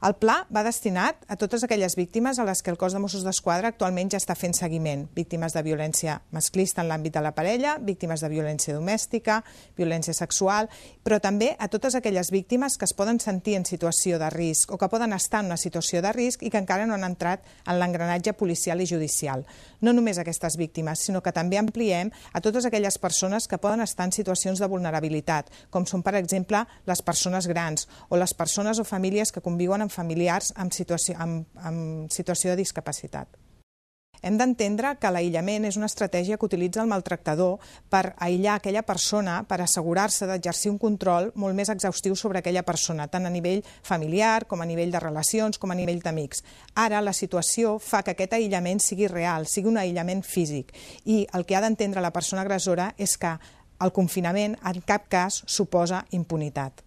El pla va destinat a totes aquelles víctimes a les que el cos de Mossos d'Esquadra actualment ja està fent seguiment. Víctimes de violència masclista en l'àmbit de la parella, víctimes de violència domèstica, violència sexual, però també a totes aquelles víctimes que es poden sentir en situació de risc o que poden estar en una situació de risc i que encara no han entrat en l'engranatge policial i judicial. No només aquestes víctimes, sinó que també ampliem a totes aquelles persones que poden estar en situacions de vulnerabilitat, com són, per exemple, les persones grans o les persones o famílies que conviuen amb familiars amb situació de discapacitat. Hem d'entendre que l'aïllament és una estratègia que utilitza el maltractador per aïllar aquella persona, per assegurar-se d'exercir un control molt més exhaustiu sobre aquella persona, tant a nivell familiar com a nivell de relacions com a nivell d'amics. Ara la situació fa que aquest aïllament sigui real, sigui un aïllament físic, i el que ha d'entendre la persona agressora és que el confinament en cap cas suposa impunitat.